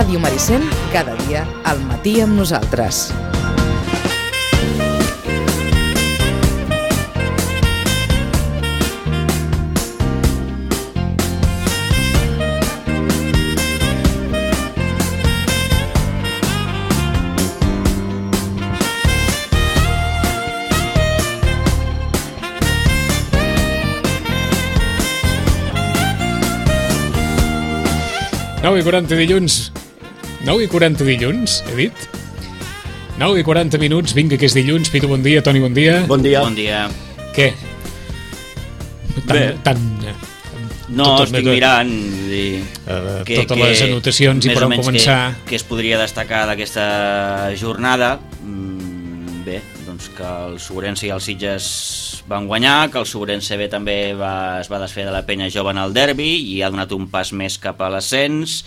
Ràdio Maricel, cada dia al matí amb nosaltres. Nou i 40 dilluns. 9 i 40 dilluns, he dit? 9 i 40 minuts, vinga que és dilluns. Pitu, bon dia. Toni, bon dia. Bon dia. Bon dia. Què? No, estic mirant totes les anotacions i per on començar. Què es podria destacar d'aquesta jornada? Bé, doncs que el Sobrense i el Sitges van guanyar, que el Sobrense B també es va desfer de la penya jove en el derbi i ha donat un pas més cap a l'ascens.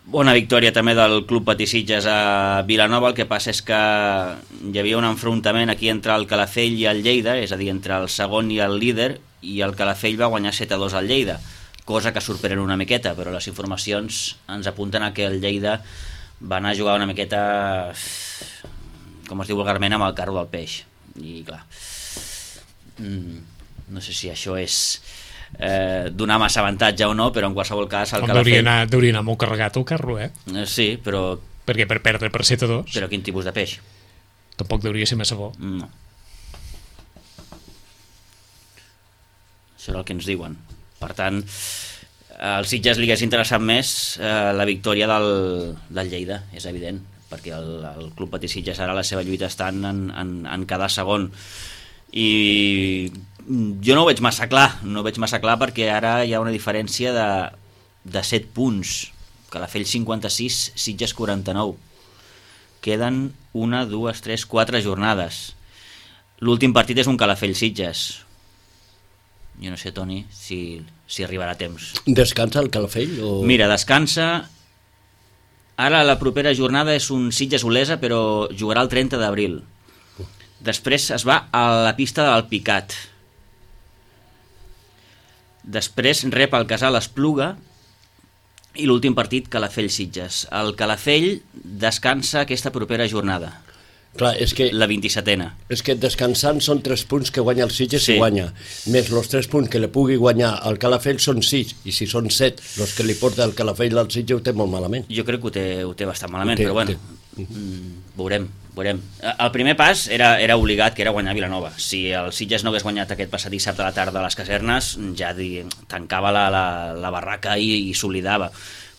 Bona victòria també del Club Patí Sitges a Vilanova. El que passa és que hi havia un enfrontament aquí entre el Calafell i el Lleida, és a dir, entre el segon i el líder, i el Calafell va guanyar 7-2 al Lleida, cosa que sorprèn una miqueta, però les informacions ens apunten a que el Lleida va anar a jugar una miqueta, com es diu vulgarment, amb el carro del peix. I clar, no sé si això és donar massa avantatge o no, però en qualsevol cas el Calafell... Hauria anar molt carregat el carro, Sí, però... Perquè per perdre per 7-2... Però quin tipus de peix? Tampoc hauria ser massa bo. No. Això és el que ens diuen. Per tant, al Sitges li hagués interessat més la victòria del Lleida, és evident, perquè el Club Patí Sitges ara la seva lluita està en quedar segon. I jo no ho veig massa clar, perquè ara hi ha una diferència de 7 punts. Calafell 56, Sitges 49. Queden 1, 2, 3, 4 jornades. L'últim partit és un Calafell-Sitges. Jo no sé, Toni, si arribarà a temps. Descansa el Calafell? Mira, descansa. Ara la propera jornada és un Sitges-Olesa, però jugarà el 30 d'abril. Després es va a la pista del Picat. Després rep el Casal Espluga i l'últim partit Calafell-Sitges. El Calafell descansa aquesta propera jornada. Clar, és que... La 27a. És que descansant són 3 punts que guanya el Sitges i guanya. Més els 3 punts que li pugui guanyar al Calafell són 6, i si són 7, els que li porta el Calafell al Sitges ho té molt malament. Jo crec que ho té bastant malament, però bueno, veurem. El primer pas era obligat, que era guanyar Vilanova. Si el Sitges no hagués guanyat aquest passat dissabte a la tarda a les casernes, ja tancava la barraca i s'oblidava.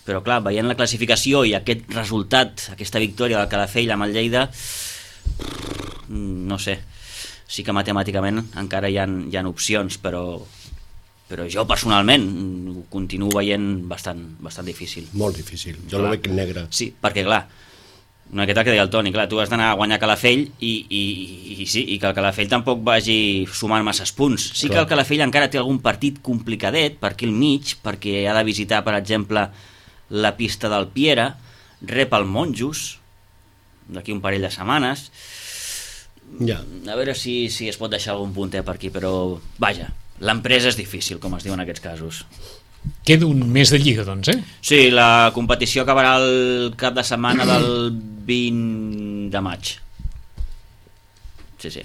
Però clar, veient la classificació i aquest resultat, aquesta victòria del Calafell amb el Lleida, no sé, sí que matemàticament encara hi ha opcions, però jo personalment ho continuo veient bastant difícil. Molt difícil, jo lo veig negre. Sí, perquè clar, una miqueta que deia el Toni, clar, tu has d'anar a guanyar Calafell i que el Calafell tampoc vagi sumant masses punts. Sí que el Calafell encara té algun partit complicadet per aquí al mig, perquè ha de visitar, per exemple, la pista del Piera, rep el Monjos d'aquí un parell de setmanes. A veure si es pot deixar algun punter per aquí, però vaja, l'empresa és difícil, com es diu en aquests casos. Queda un mes de Lliga, doncs, Sí, la competició acabarà el cap de setmana del 20 de maig. Sí.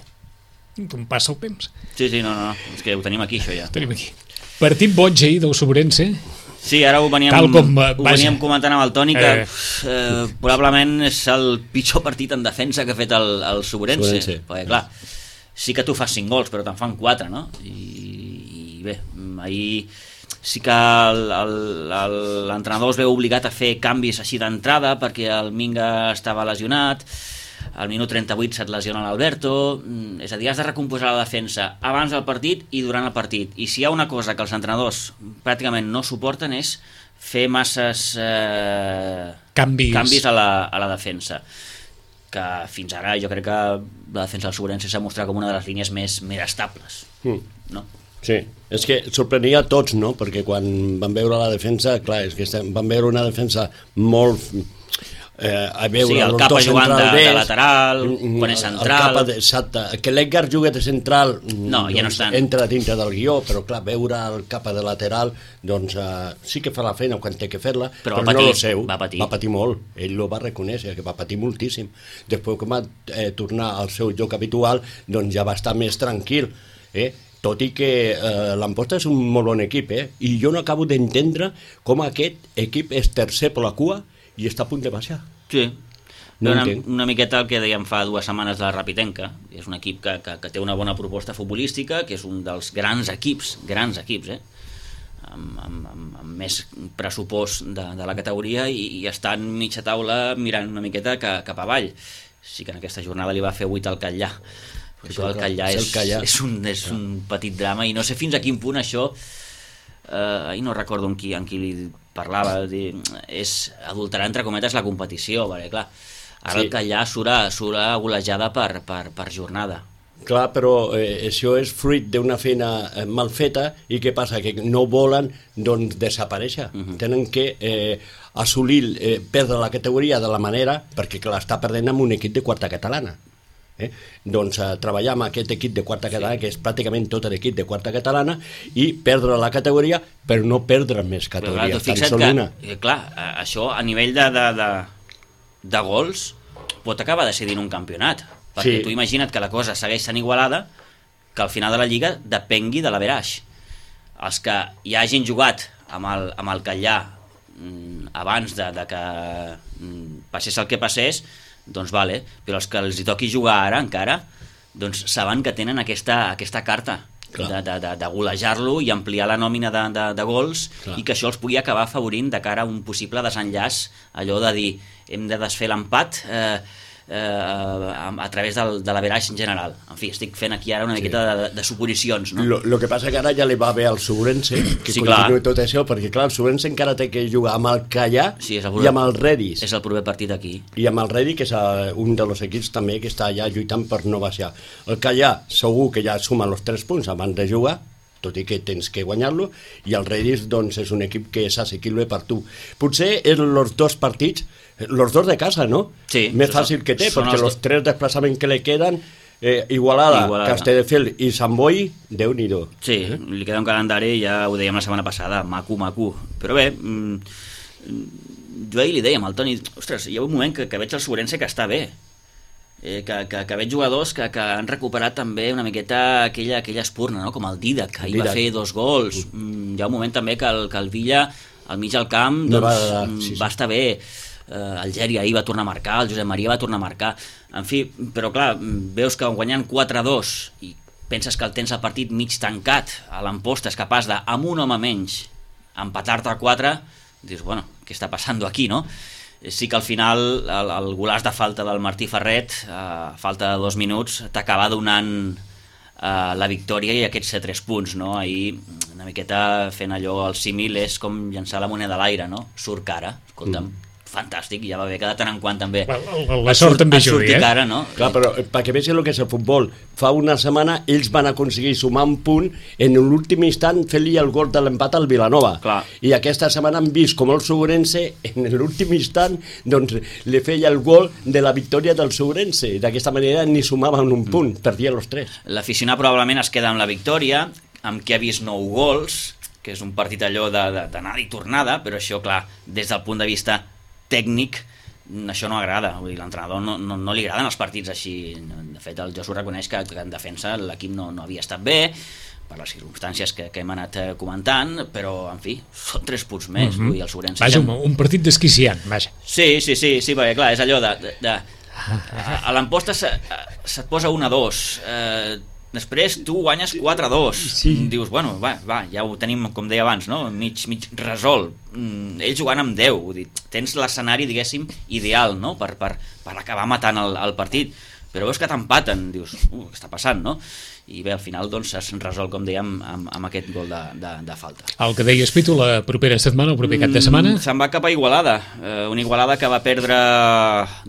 Com passa el temps. Sí, no, és que ho tenim aquí, això ja. Tenim aquí. Partit boig ahir del Sobrense. Sí, ara ho veníem comentant amb el Toni, que probablement és el pitjor partit en defensa que ha fet el Sobrense. Perquè clar, sí que tu fas 5 gols, però te'n fan 4, no? I bé, ahir sí que l'entrenador es veu obligat a fer canvis així d'entrada, perquè el Minga estava lesionat, al minut 38 se't lesiona l'Alberto, és a dir, has de recomposar la defensa abans del partit i durant el partit, i si hi ha una cosa que els entrenadors pràcticament no suporten és fer masses canvis a la defensa, que fins ara jo crec que la defensa del Sobrense s'ha mostrat com una de les línies més estables, no? Sí, és que sorprenia a tots, no? Perquè quan van veure la defensa, clar, és que van veure una defensa molt a veure, sí, el los Capa dos jugant centrals de lateral, quan és central... Exacte, que l'Edgar juga de central no, ja no estan. Entra dintre del guió, però clar, veure el Capa de lateral, doncs sí que fa la feina quan té que fer-la, però patir, no lo seu, va patir molt, ell lo va reconèixer, que va patir moltíssim. Després que va tornar al seu joc habitual, doncs ja va estar més tranquil, tot i que l'Amposta és un molt bon equip, i jo no acabo d'entendre com aquest equip és tercer per la cua i està a punt de baixar. Sí, no una miqueta el que dèiem fa 2 setmanes de la Rapitenca. És un equip que té una bona proposta futbolística, que és un dels grans equips, amb més pressupost de la categoria, i estan mitja taula mirant una miqueta cap avall. Sí que en aquesta jornada li va fer 8 al Catllà. Això del Catllà és un petit drama, i no sé fins a quin punt això... ahir no recordo amb qui li parlava, és adulterar entre cometes la competició, perquè clar, ara el Catllà surt golejada per jornada. Clar, però això és fruit d'una feina mal feta, i què passa? Que no volen doncs desaparèixer, tenen que assolir, perdre la categoria de la manera, perquè clar, està perdent amb un equip de quarta catalana. Doncs treballar amb aquest equip de quarta catalana, que és pràcticament tot l'equip de quarta catalana, i perdre la categoria, però no perdre més categoria, tan sol una. Clar, això a nivell de gols pot acabar decidint un campionat, perquè tu imagina't que la cosa segueix sent igualada, que al final de la Lliga depengui de l'averaix. Els que ja hagin jugat amb el Catllà abans de que passés el que passés, doncs vale, però els que els hi toqui jugar ara encara, doncs saben que tenen aquesta carta de golejar-lo i ampliar la nòmina de gols, i que això els pugui acabar afavorint de cara a un possible desenllaç, allò de dir hem de desfer l'empat a través de l'averaix en general. En fi, estic fent aquí ara una miqueta de suposicions, no? Lo que passa que ara ja li va bé al Subrense que continuï tot això, perquè clar, el Subrense encara té que jugar amb el Catllà i amb el Redis. És el proper partit aquí. I amb el Redis, que és un dels equips també que està ja lluitant per no baixar. El Catllà segur que ja suma els 3 punts abans de jugar, tot i que tens que guanyar-lo, i el Redis doncs, és un equip que és assequible per tu. Potser és els 2 partits, els 2 de casa, no? Sí. Més fàcil que té, perquè els 3 desplaçaments que li queden, Igualada, Castelldefels i Sant Boi, Déu-n'hi-do. Sí, li queda un calendari, ja ho dèiem la setmana passada, maco. Però bé, jo ahir li dèiem al Toni, ostres, hi ha un moment que veig el Sobrense que està bé, que veig jugadors que han recuperat també una miqueta aquella espurna, no? Com el Didac, que ahir va fer 2 gols. Hi ha un moment també que el Villa al mig del camp doncs, va estar bé. El Geri ahir va tornar a marcar, el Josep Maria va tornar a marcar, en fi, però clar, veus que guanyant 4-2 i penses que el tens el partit mig tancat, a l'Amposta és capaç de, amb un home menys, empatar-te a 4, dius, bueno, què està passant aquí, no? Sí que al final el golaç de falta del Martí Ferret, a falta de 2 minuts, t'acaba donant la victòria i aquests 3 punts, no? Ahir una miqueta fent allò, el símil és com llançar la moneda a l'aire, no? Surt cara, escolta'm, fantàstic, ja va bé que de tant en quant també la sort també judi, cara, no? Clar, però perquè vegi el que és el futbol, fa una setmana ells van aconseguir sumar un punt en l'últim instant fent-li el gol de l'empat al Vilanova. Clar. I aquesta setmana han vist com el Sobrense en l'últim instant doncs li feia el gol de la victòria del Sobrense. D'aquesta manera ni sumaven un punt, perdia els 3. L'aficionat probablement es queda amb la victòria, amb qui ha vist 9 gols, que és un partit allò d'anada i tornada, però això, clar, des del punt de vista tècnic, això no agrada. Vull dir, l'entrenador no li agraden els partits així. De fet, el Josu reconeix que en defensa l'equip no havia estat bé, per les circumstàncies que hem anat comentant, però, en fi, són 3 punts més. Vull dir, el Sobrense... Vaja, un partit desquiciant, vaja. Sí, perquè, clar, és allò a l'Amposta se't posa 1-2, després tu guanyes 4-2, dius, bueno, va, ja ho tenim, com deia abans, no? mig resolt, ells jugant amb 10, vull dir, tens l'escenari, diguéssim, ideal, no? per acabar matant el partit, però veus que t'empaten, dius, què està passant, no? I bé, al final doncs es resol, com dèiem, amb aquest gol de falta. El que deies, Pitu, la propera setmana, el proper cap de setmana? Se'n va cap a Igualada, una Igualada que va perdre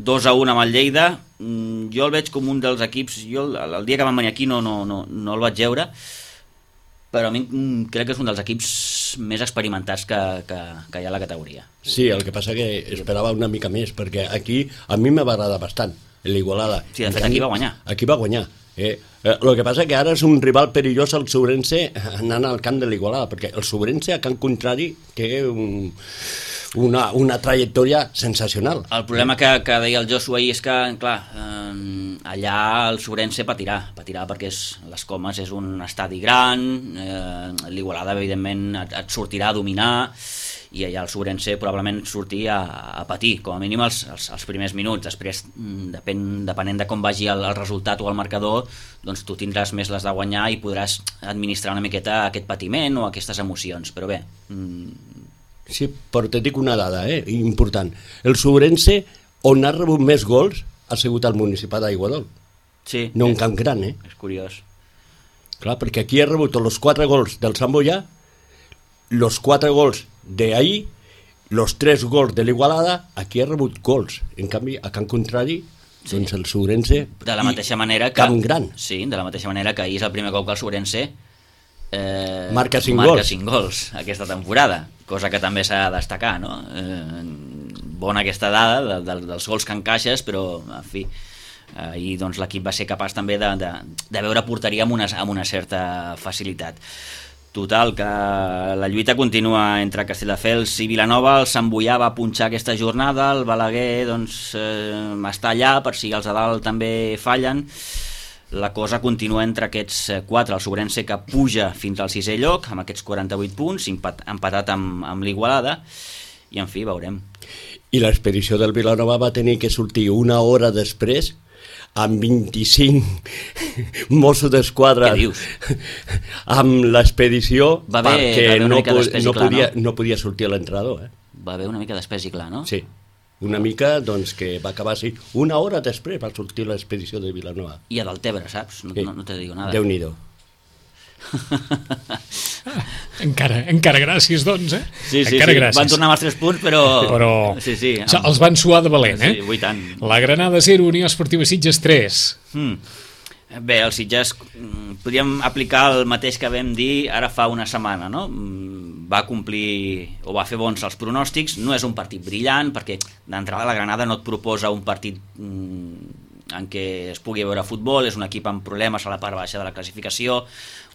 2-1 amb el Lleida. Jo el veig com un dels equips, jo el dia que vam venir aquí no el vaig veure, però a mi crec que és un dels equips més experimentats que hi ha a la categoria. Sí, el que passa que esperava una mica més, perquè aquí a mi m'ha agradat bastant, l'Igualada. Sí, de fet, aquí va guanyar. Aquí va guanyar. El que passa que ara és un rival perillós al Sobrense anant al camp de l'Igualada, perquè el Sobrense a camp contrari té una trajectòria sensacional. El problema que deia el Josu ahir és que, clar, allà el Sobrense patirà perquè les Comes és un estadi gran, l'Igualada evidentment et sortirà a dominar, i allà el Sobrense probablement sortir a patir, com a mínim els primers minuts. Després, depenent de com vagi el resultat o el marcador, doncs tu tindràs més les de guanyar i podràs administrar una miqueta aquest patiment o aquestes emocions, però bé... Sí, però te dic una dada important. El Sobrense, on ha rebut més gols, ha sigut el Municipal d'Aiguadol. Sí. No un camp gran, És curiós. Clar, perquè aquí ha rebut els 4 gols del Sant Boià, els 4 gols d'ahir, els 3 gols de l'Igualada, aquí ha rebut gols. En canvi, a camp contrari, doncs el Sobrense... De la mateixa manera que... Camp gran. Sí, de la mateixa manera que ahir és el primer cop que el Sobrense marca 5 gols aquesta temporada, cosa que també s'ha de destacar, no? Bona aquesta dada dels gols que encaixes, però, en fi, ahir doncs, l'equip va ser capaç també de veure porteria amb una certa facilitat. Total, que la lluita continua entre Castelldefels i Vilanova. El Sant Boià va punxar aquesta jornada, el Balaguer doncs, està allà per si els de dalt també fallen. La cosa continua entre aquests 4, el Sobrense que puja fins al 6è lloc amb aquests 48 punts, empatat amb l'Igualada, i en fi, veurem. I l'expedició del Vilanova va tenir que sortir una hora després amb 25 Mossos d'Esquadra amb l'expedició perquè no podia sortir a l'entrenador. Va haver una mica d'espès i clar, no? Sí, una mica doncs, que va acabar així. Una hora després va sortir l'expedició de Vilanova. I a Deltebre, saps? No te digo nada. Déu-n'hi-do. Encara gràcies, doncs, Sí, gràcies. Van tornar amb els 3 punts, però... Sí, els van suar de valent, Sí, i tant. La Granada 0, Unió Esportiva Sitges 3. Bé, el Sitges podríem aplicar el mateix que vam dir ara fa una setmana, no? Va complir o va fer bons els pronòstics. No és un partit brillant, perquè d'entrada la Granada no et proposa un partit en què es pugui veure futbol. És un equip amb problemes a la part baixa de la classificació,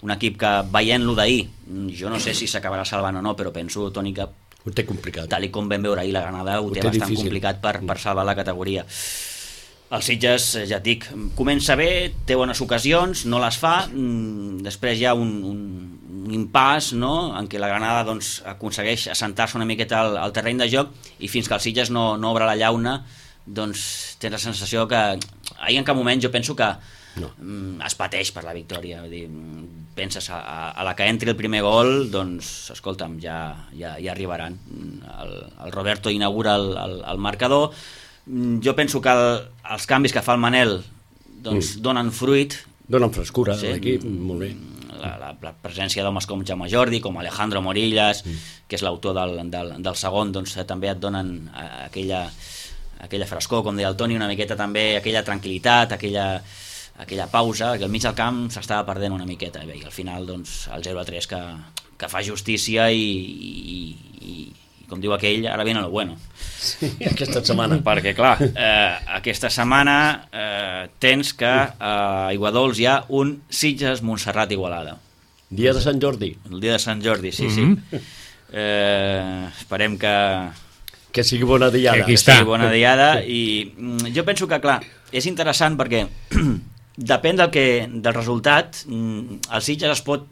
un equip que, veient-lo d'ahir, jo no sé si s'acabarà salvant o no, però penso, Toni, que ho té complicat. Tal com vam veure ahir, la Granada ho té bastant difícil, complicat per salvar la categoria. El Sitges, ja et dic, comença bé, té bones ocasions, no les fa, després hi ha un impàs, no?, en què la Granada doncs, aconsegueix assentar-se una miqueta al terreny de joc, i fins que el Sitges no obre la llauna, doncs tens la sensació que ahir en cap moment jo penso que es pateix per la victòria. Vull dir, penses a la que entri el primer gol, doncs escolta'm, ja arribaran. El Roberto inaugura el marcador. Jo penso que els canvis que fa el Manel doncs donen fruit, donen frescura a l'equip, molt bé. La presència d'homes com Jaume Jordi, com Alejandro Morillas, que és l'autor del segon, doncs també et donen aquella frescor, com deia el Toni, una miqueta també, aquella tranquil·litat, aquella pausa, que al mig del camp s'estava perdent una miqueta, i al final doncs, el 0-3 que fa justícia i com diu aquell, ara viene lo bueno. Sí, aquesta setmana. Perquè, clar, aquesta setmana tens que a Iguadols hi ha un Sitges-Montserrat-Igualada. Dia de Sant Jordi. El dia de Sant Jordi, sí. Esperem que sigui bona diada. Que sigui bona diada, i jo penso que, clar, és interessant perquè depèn del resultat, el Sitges es pot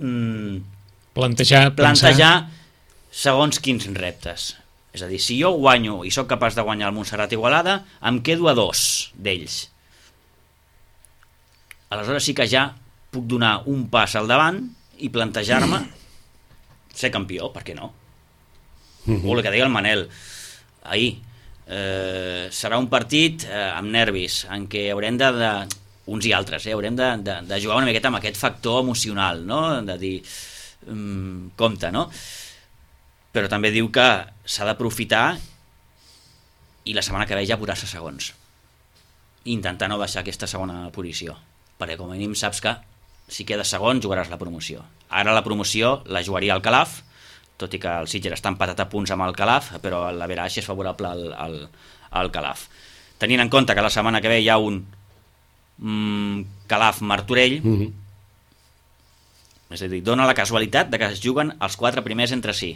plantejar segons quins reptes. És a dir, si jo guanyo i sóc capaç de guanyar el Montserrat-Igualada, em quedo a 2 d'ells. Aleshores sí que ja puc donar un pas al davant i plantejar-me ser campió, per què no? O el que deia el Manel ahir, serà un partit amb nervis, en què haurem uns i altres, haurem de jugar una miqueta amb aquest factor emocional, no? De dir, compte, no? Però també diu que s'ha d'aprofitar i la setmana que ve ja posar-se segons, intentar no baixar aquesta segona posició, perquè com a mínim saps que si quedes segon jugaràs la promoció. Ara la promoció la jugaria el Calaf, tot i que el Sitges està empatat a punts amb el Calaf, però l'averaix és favorable al Calaf. Tenint en compte que la setmana que ve hi ha un Calaf-Martorell, és a dir, dona la casualitat de que es juguen els 4 primers entre si.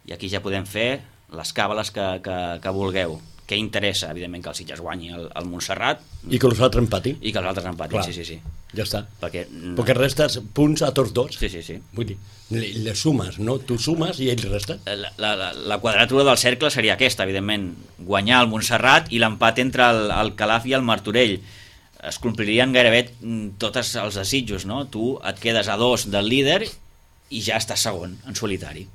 I aquí ja podem fer les càbales que vulgueu. Què interessa, evidentment, que el Sitges guanyi el Montserrat. I que els altres empatin. I que els altres empatin, sí. Ja està. Perquè restes punts a tots dos. Sí. Vull dir, les sumes, no? Tu sumes i ells resten. La quadratura del cercle seria aquesta, evidentment. Guanyar el Montserrat i l'empat entre el Calaf i el Martorell. Es complirien gairebé tots els desitjos, no? Tu et quedes a 2 del líder i ja estàs segon, en solitari.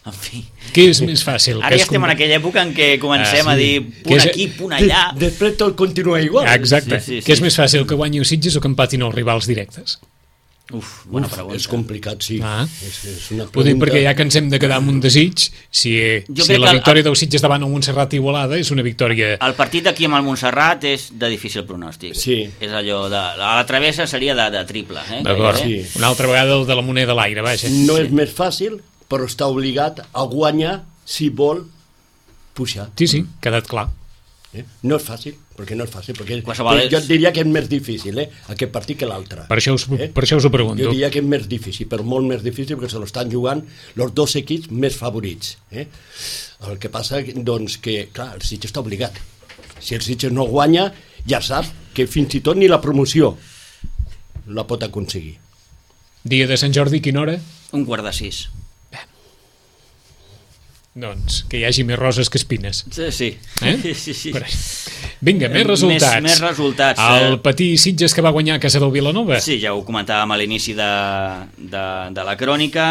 En fi. Què és més fàcil? Ara ja estem en aquella època en què comencem a dir punt aquí, punt allà. Després tot continua igual. Exacte. Sí. Què és més fàcil, que guanyi el Sitges o que empatin els rivals directes? Bona pregunta. És complicat, sí. És una pregunta. Ho dic perquè ja que ens hem de quedar amb un desig, si la victòria del Sitges davant el Montserrat Igualada és una victòria... El partit d'aquí amb el Montserrat és de difícil pronòstic. Sí. És allò de... A la travessa seria de triple. D'acord. Sí. Una altra vegada el de la moneda a l'aire, vaja. No és més fàcil, però està obligat a guanyar si vol pujar. Sí, quedat clar. No és fàcil, perquè Qualsevol jo et diria que és més difícil aquest partit que l'altre. Per això us ho pregunto. Jo diria que és més difícil, però molt més difícil, perquè se l'estan jugant els dos equips més favorits. El que passa, doncs, que, clar, el Sitges està obligat. Si el Sitges no guanya, ja sap que fins i tot ni la promoció la pot aconseguir. Dia de Sant Jordi, quina hora? 5:45. Doncs que hi hagi més roses que espines. Sí. Sí. Vinga, més resultats. Més resultats. El Patí Sitges que va guanyar a casa del Vilanova. Sí, ja ho comentàvem a l'inici de la crònica.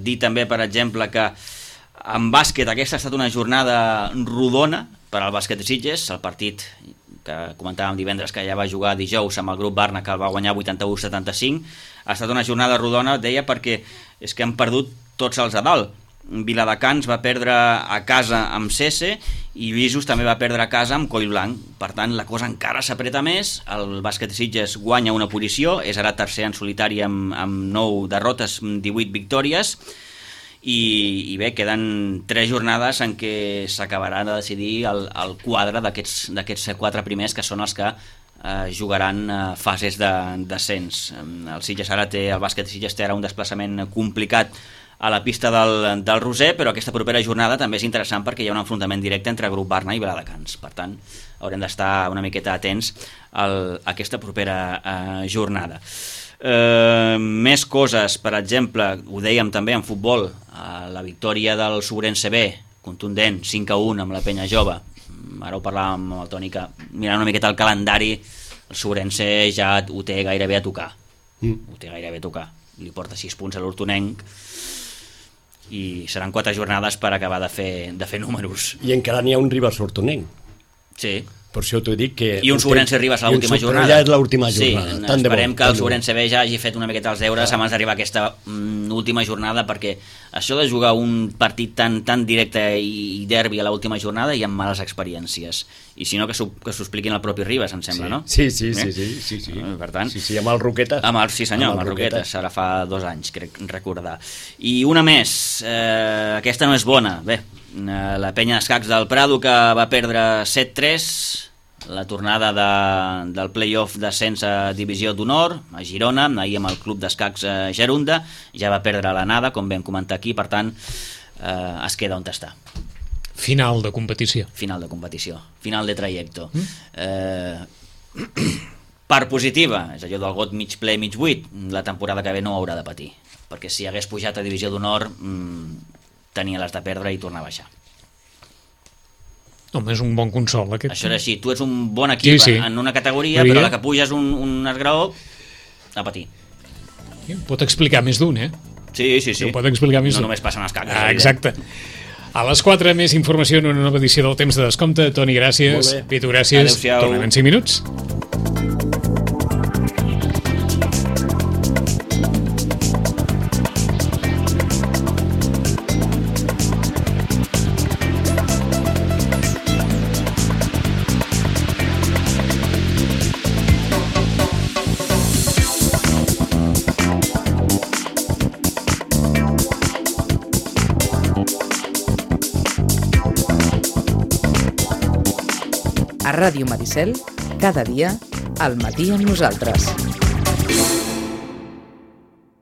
Dir també, per exemple, que en bàsquet aquesta ha estat una jornada rodona per al bàsquet de Sitges. El partit que comentàvem divendres, que ja va jugar dijous amb el grup Barna, que el va guanyar 81-75. Ha estat una jornada rodona, deia, perquè és que han perdut tots els a dalt. Viladecans va perdre a casa amb Cese i Visos també va perdre a casa amb Collblanc. Per tant, la cosa encara s'apreta més. El bàsquet de Sitges guanya una posició, és ara tercer en solitari amb 9 derrotes, 18 victòries, i bé, queden 3 jornades en què s'acabarà de decidir el quadre d'aquests 4 primers, que són els que jugaran fases de descens. El bàsquet de Sitges té ara un desplaçament complicat a la pista del Roser, però aquesta propera jornada també és interessant perquè hi ha un enfrontament directe entre Grup Barna i Viladecans. Per tant, haurem d'estar una miqueta atents a aquesta propera jornada. Més coses, per exemple, ho dèiem també en futbol, la victòria del Sobrense B, contundent, 5-1 amb la Penya Jove. Ara ho parlàvem amb el Toni, que mirant una miqueta el calendari, el Sobrense ja ho té gairebé a tocar. Ho té gairebé a tocar. Li porta 6 punts a l'Hortonenc, i seran 4 jornades per acabar de fer números. I encara n'hi ha un Ribas Hortonenc. Sí. Per això t'ho dic que... I un Sobrense Ribas a l'última jornada. Ja és l'última jornada. Sí, esperem que el Sobrense B ja hagi fet una miqueta els deures abans d'arribar a aquesta última jornada, perquè això de jugar un partit tan directe i derbi a l'última jornada hi ha males experiències. I si no, que s'ho expliquin el propi Ribas, em sembla, no? Sí. Per tant, sí, amb el Roquetes. Sí senyor, amb el Roquetes, ara fa 2 anys, crec recordar. I una més, aquesta no és bona. Bé, la Penya d'Escacs del Prado, que va perdre 7-3, la tornada del play-off d'ascens a Divisió d'Honor a Girona, ahir amb el Club d'Escacs Gerunda, ja va perdre l'anada, com vam comentar aquí, per tant es queda on està. Final de competició, final de trajecto. Part positiva, és allò del got mig ple, mig buit. La temporada que ve no haurà de patir, perquè si hagués pujat a Divisió d'Honor tenia les de perdre i tornar a baixar. Home, és un bon consol aquest. Això és així, tu ets un bon equip en una categoria, però la que puges un esgraó a patir. Pot explicar més d'un, Sí. Ho pot explicar més d'un. No només passen els cacs. Exacte. A les 4, més informació en una nova edició del Temps de Descompte. Toni, gràcies. Pitu, gràcies. Adéu-siau. Tornem en 5 minuts. Ràdio Maricel, cada dia, al matí amb nosaltres.